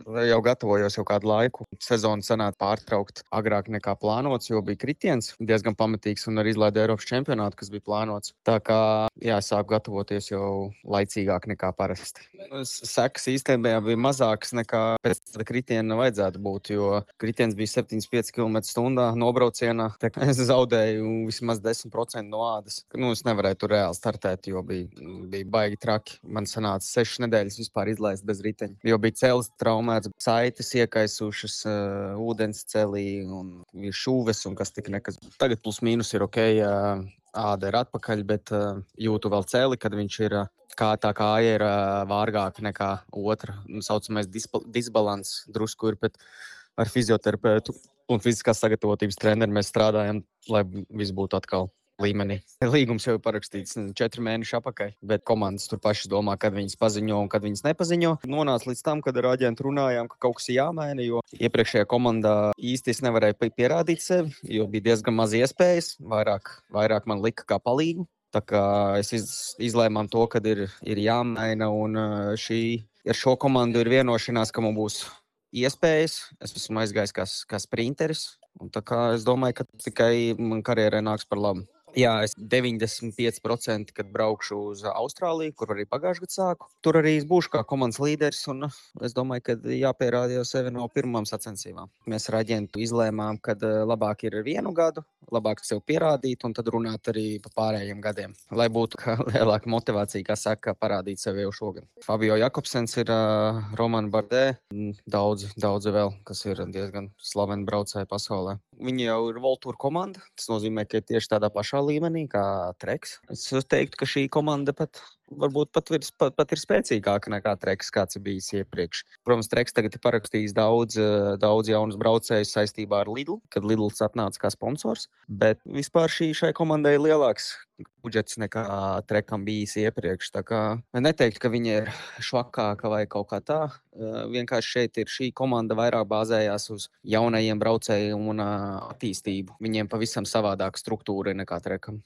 jau gatavojos jau kādu laiku. Sezonu sanāca pārtraukt agrāk nekā plānots, jo bija kritiens diezgan pamatīgs un arī izlaida Eiropas čempionātu, kas bija plānots. Tā kā sāku gatavoties jau laicīgāk nekā parasti. Sekas īstenībā bija mazākas nekā pēc tāda kritiena vajadzētu būt, jo kritiens bija 75 km/h nobraucienā. Es zaudēju vismaz 10% no ādas. Es nevarēju tur reāli startēt, jo bija baigi traki. Man sanāca 6 nedēļas vispār izlaist bez riteņa, jo bija cēlis traumēts, saites iekaisušas ūdens celī un šūves un kas tik nekas. Tagad plus mīnus ir ok, āda ir atpakaļ, bet jūtu vēl cēli, kad viņš ir tā kāja ir vārgāka nekā otra. Saucamais disbalans drusku ir, bet ar fizioterapeitu un fiziskās sagatavotības treneru mēs strādājam, lai viss būtu atkal līmenī. Līgums jau ir parakstīts 4 mēneši atpakaļ, bet komandas tur pašas domā, kad viņas paziņo un kad viņas nepaziņo. Nonāca līdz tam, kad ar aģentu runājām, ka kaut kas ir jāmaina, jo iepriekšējā komandā īsti es nevarēju pierādīt sevi, jo bija diezgan maz iespējas, vairāk man lika kā palīgu. Tā kā es izlēmām to, kad ir jāmaina, un ar šo komandu ir vienošanās, ka man būs iespējas. Es esmu aizgājis kā sprinteris, un tā kā es domāju, ka tikai man karjerai nāks par labu. Jā, es 95%, kad braukšu uz Austrāliju, kur arī pagājušajā gadā sāku. Tur arī es būšu kā komandas līderis, un es domāju, ka jāpierāda jau sevi no pirmām sacensībām. Mēs ar aģentu izlēmām, ka labāk ir 1 gadu, labāk sev pierādīt, un tad runāt arī par pārējiem gadiem, lai būtu lielāka motivācija, kā saka, parādīt sevi jau šogad. Fabio Jakobsens ir Roman Bardet, daudzi vēl, kas ir diezgan slaveni braucēji pasaulē. Viņi jau ir World Tour komanda, tas nozīmē, ka ir tieši tādā pašā līmenī kā Treks. Es teiktu, ka šī komanda varbūt pat ir spēcīgāka nekā Treks, kāds ir bijis iepriekš. Protams, Treks tagad ir parakstījis daudz jaunus braucējus saistībā ar Lidl, kad Lidls atnāca kā sponsors, bet vispār šai komandai ir lielāks budžets nekā Trekam bijis iepriekš. Tā kā neteiktu, ka viņi ir švakāka vai kaut kā tā. Vienkārši šeit ir šī komanda vairāk bāzējās uz jaunajiem braucējiem un attīstību. Viņiem pavisam savādāka struktūra nekā Trekam.